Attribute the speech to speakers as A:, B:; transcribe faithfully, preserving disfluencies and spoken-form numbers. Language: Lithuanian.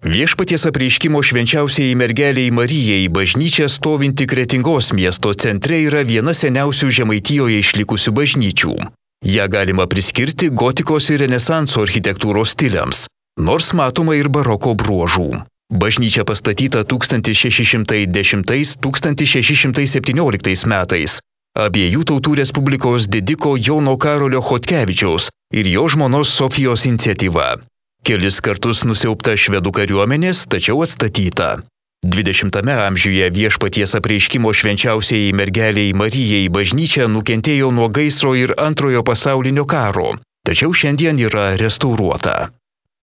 A: Viešpaties apreiškimo švenčiausiai mergeliai Marijai bažnyčia stovinti Kretingos miesto centre yra viena seniausių Žemaitijoje išlikusių bažnyčių. Ja galima priskirti gotikos ir renesanso architektūros stiliams, nors matoma ir baroko bruožų. Bažnyčia pastatyta tūkstantis šeši šimtai dešimtais - tūkstantis šeši šimtai septynioliktais metais abiejų tautų Respublikos didiko Jono Karolio Chodkevičiaus ir jo žmonos Sofijos iniciatyva. Kelis kartus nusiaubta švedų kariuomenės, tačiau atstatyta. dvidešimtame amžiuje Viešpaties apreiškimo švenčiausiai mergeliai Marijai bažnyčia nukentėjo nuo gaisro ir antrojo pasaulinio karo, tačiau šiandien yra restauruota.